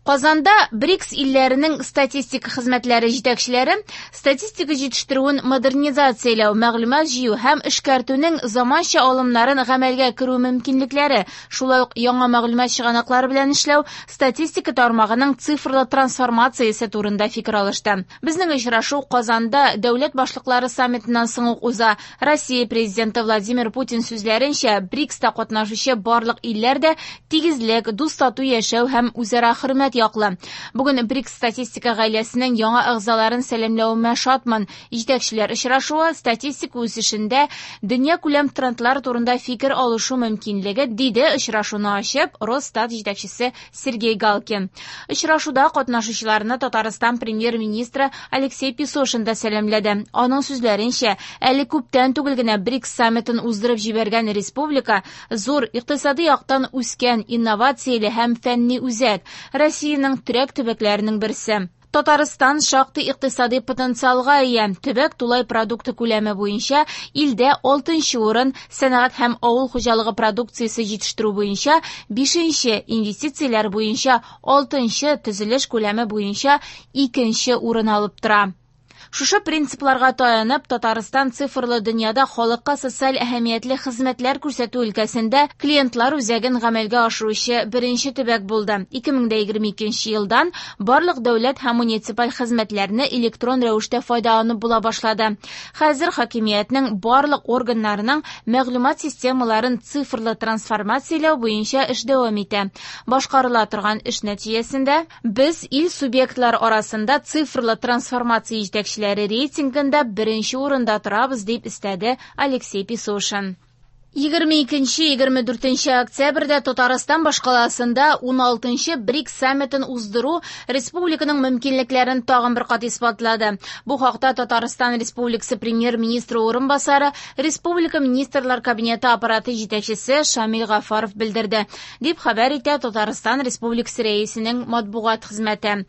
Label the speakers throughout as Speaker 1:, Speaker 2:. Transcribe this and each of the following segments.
Speaker 1: Казанда БРИКС илләренең статистик хезмәтләре җитәкчеләре статистика җитештерүен модернизацияләү, мәгълүмат җыю һәм эшкәртүнең заманча алымнарын гамәлгә керү мөмкинлекләре, шулай ук яңа мәгълүмат чыганаклары белән эшләү, статистика тармагының цифрлы трансформациясе турында фикер алышты. Безнең очрашу Казанда дәүләт башлыклары саммитыннан соң ук уза. Россия президенты Владимир Путин сүзләренчә, БРИКСта катнашучы барлык илләр дә тигезлек, дус-тату яшәү һәм үзара хөрмәт яклы. Бүген БРИКС статистика гаиләсенең яңа әгъзаларын сәламләвемә шатмын. Җитәкчеләр очрашуы статистика үсешендә дөньякүләм трендлар турында фикер алышу мөмкинлеге, диде очрашуны ачып Росстат җитәкчесе Сергей Галкин. Очрашуда катнашучыларны Татарстан премьер-министры Алексей Песошин да сәламләде. Аның сүзләренчә, әле күптән түгел генә БРИКС саммитын уздырып җибәргән республика зур икътисади яктан үскән, инновацияле һәм фәнни үзәк, Россиянең терәк төбәкләренең берсе. Татарстан шактый икътисади потенциалга ия. Төбәк тулай продукты күләме буенча илдә 6нчы урын, сәнәгать һәм авыл хуҗалыгы продукциясе җитештерү буенча 5нче, инвестицияләр буенча 6нчы, төзелеш күләме буенча 2нче урын алып тора. Шушы принципларга таянып, Татарстан цифрлы дөньяда халыкка социаль әһәмиятле хезмәтләр күрсәтү өлкәсендә клиентлар үзәген гамәлгә ашыручы беренче төбәк булды. 2022 елдан барлык дәүләт һәм муниципаль хезмәтләрне электрон рәвештә файдаланып була башлады. Хәзер хакимиятнең барлык органнарының мәгълүмат системаларын цифрлы трансформацияләү буенча эш дәвам итә. Башкарыла торган эш нәтиҗәсендә без ил субъектлар арасында цифрлы трансформация җитәкчеләре рейтингында беренче урында торабыз, дип өстәде Алексей Песошин. 22-24 октябрьдә Татарстан башкаласында 16нчы БРИКС саммитын уздыру республиканың мөмкинлекләрен тагын бер кат исбатлады. Бу хакта Татарстан Республикасы премьер-министры урынбасары, Республика Министрлар Кабинеты аппараты җитәкчесе Шамил Гафаров белдерде, дип хәбәр итә Татарстан Республикасы рәисенең матбугат хезмәте.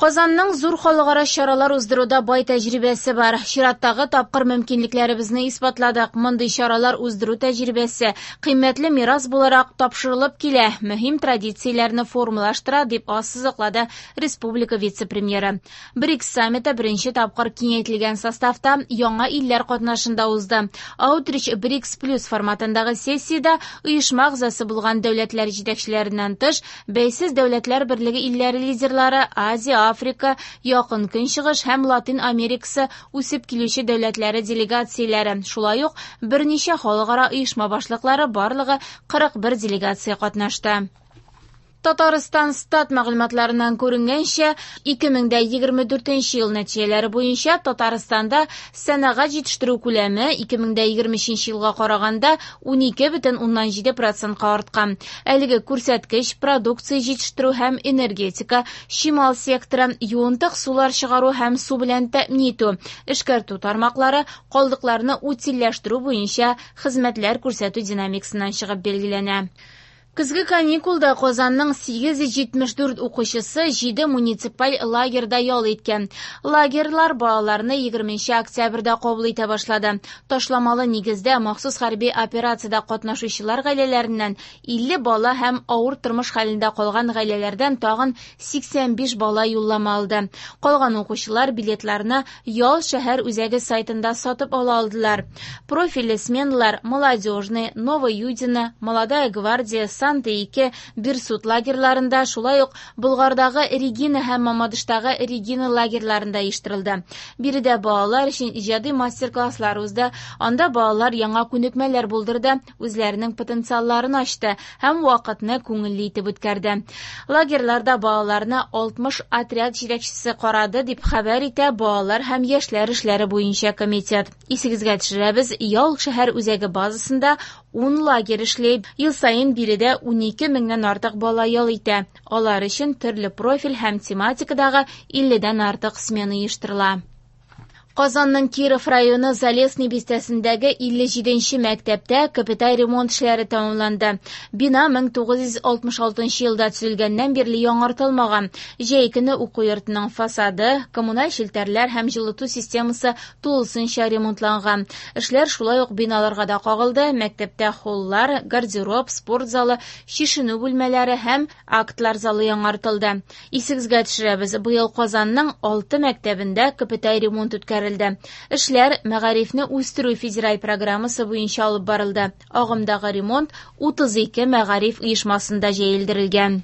Speaker 1: Казанның зур халыкара чаралар уздыруда бай тәҗрибәсе бар. Чираттагы тапкыр мөмкинлекләребезне исбатладык. Мондый чаралар уздыру тәҗрибәсе кыйммәтле мирас буларак тапшырылып килә, мөһим традицияләрне формалаштыра, дип ассызыклады республика вице-премьеры. БРИКС саммиты беренче тапкыр киңәйтелгән составта яңа илләр катнашында узды. Outreach БРИКС плюс форматындагы сессиядә оешма әгъзасы булган дәүләтләр җитәкчеләреннән тыш, Бәйсез дәүләтләр берлеге илләре лидерлары, Азия, Африка, Якын Көнчыгыш һәм Латин Америкасы үсеп килүче дәүләтләре делегацияләре, шулай ук берничә халыкара оешма башлыклары, барлыгы 41 делегация катнашты. Татарстан стат мәгълүматларыннан күренгәнчә, 2024 ел нәтиҗәләре буенча Татарстанда сәнәгать җитештерү күләме 2023 елга караганда 12,7 процентка арткан. Әлеге күрсәткеч продукция җитештерү һәм энергетика, чимал секторы, юынтык сулар чыгару һәм су белән тәэмин итү, эшкәртү тармаклары, калдыкларны утильләштерү буенча хезмәтләр күрсәтү динамикасыннан чыгып билгеләнә. Көзге каникулда Казанның 874 укучысы 7 муниципаль лагерьда ял иткән. Лагерьлар балаларны 20 октябрьдә кабул итә башлады. Ташламалы нигездә махсус хәрби операциядә катнашучылар гаиләләреннән 50 бала һәм авыр тормыш хәлендә калган гаиләләрдән тагын 85 бала юллама алды. Калган укучылар билетларны Ял шәһәр үзәге сайтында сатып ала алдылар. Профильле сменалар Молодежный, Новоюдино, Молодая гвардия, Санта-2, Берсут лагерьларында, шулай ук Болгардагы Регина һәм Мамадыштагы Регина лагерьларында оештырылды. Биредә балалар өчен иҗади мастер-класслар узды, анда балалар яңа күнекмәләр булдырды, үзләренең потенциалларын ачты һәм вакытны күңелле итеп үткәрде. Лагерьларда балаларны 60 отряд җитәкчесе карады, дип хәбәр итә Балалар һәм яшьләр эшләре буенча комитет. Исегезгә төшерәбез, Ял шәһәр үзәге базасында 10 лагерь эшли. Ел саен биредә 12 меңнән артык бала ял итә. Алар өчен төрле профиль һәм тематикадагы 50дән артык смена оештырыла. Казанның Киров районы Залесный бистәсендәге 57 нче мәктәптә капиталь ремонт эшләре тәмамланды. Бина 1966 елда төзелгәннән бирле яңартылмаган. Җәй көне уку йортының фасады, коммуналь челтәрләр һәм җылыту системасы тулысынча ремонтланган. Эшләр шулай ук биналарга да кагылды. Мәктәптә холлар, гардероб, спорт залы, чишенү бүлмәләре һәм актлар залы яңартылды. Исегезгә төшерәбез, быел Казанның 6 мәктәбендә капиталь ремонт үткәрелде. Эшләр Мәгарифне үстерү федераль программасы буенча алып барылды. Агымдагы ремонт 32 мәгариф оешмасында җәелдерелгән.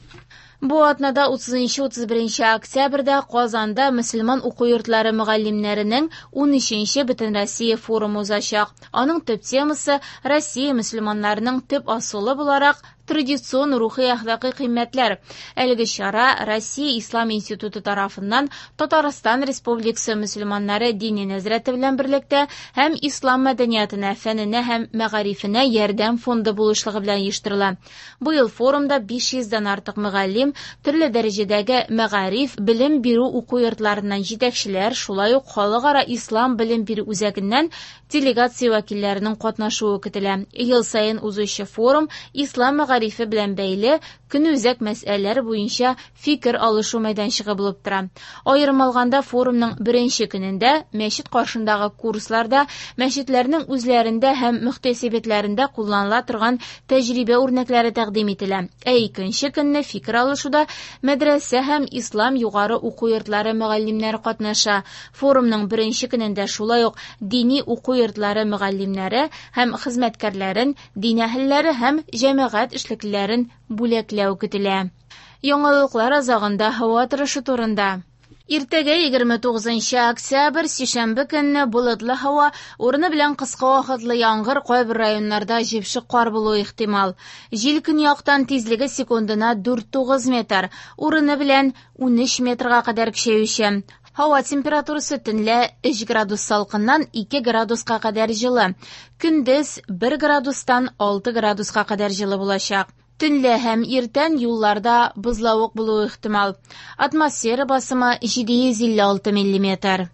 Speaker 1: Бу атнада 30-31 октябрьдә Казанда мөселман уку йортлары мөгаллимнәренең 13-нче Бөтенроссия форумы узачак. Аның төп темасы Россия мөселманнарының төп асылы буларак традицион рухи-әхлакый кыйммәтләр. Әлеге чара Россия Ислам институты тарафыннан Татарстан Республикасы мөселманнары дини нәзарәте белән берлектә һәм Ислам мәдәниятына, фәненә һәм мәгарифенә ярдәм фонды булышлыгы белән оештырыла. Быел форумда 500 дән артык мөгаллим, төрле дәрәҗәдәге мәгариф, белем бирү уку йортларыннан җитәкчеләр, шулай ук халыкара ислам белем бирү үзәгеннән делегация вәкилләренең катнашуы көтелә. Ел саен узучы форум ислам мәгарифе белән бәйле көнүзәк мәсьәләләр буенча фикер алышу мәйданчыгы булып тора. Аерым алганда форумның беренче көнендә мәчет каршындагы курсларда мәчетләрнең үзләрендә һәм мөхтәсибәтләрендә кулланыла торган тәҗрибә үрнәкләре тәкъдим ителә. Ә икенче көнне фикер алышуда мәдрәсә һәм ислам югары уку йортлары мөгаллимнәре катнаша. Форумның беренче көнендә шулай ук дини уку йортлары мөгаллимнәре һәм хезмәткәрләрен, дин әһелләре һәм җәмәгать эшлеклеләрен бүләкләү көтелә. Яңалыклар азагында һава торышы турында. Иртәгә 29 октябрь, сишәмбе көнне болытлы һава, урыны белән кыска вакытлы яңгыр, кайбер районнарда җепшек кар булуы ихтимал. Җил көньяктан тизлеге секундына 4,9 метр, урыны белән 13 метрга кадәр көчәюче. Һава температурасы төнлә 3 градус салкыннан 2 градуска кадәр җылы. Көндез 1 градустан 6 градуска кадәр җылы булачак. Төнлә һәм иртән юлларда бозлавык булуы ихтимал. Атмосфера басымы 756 миллиметр.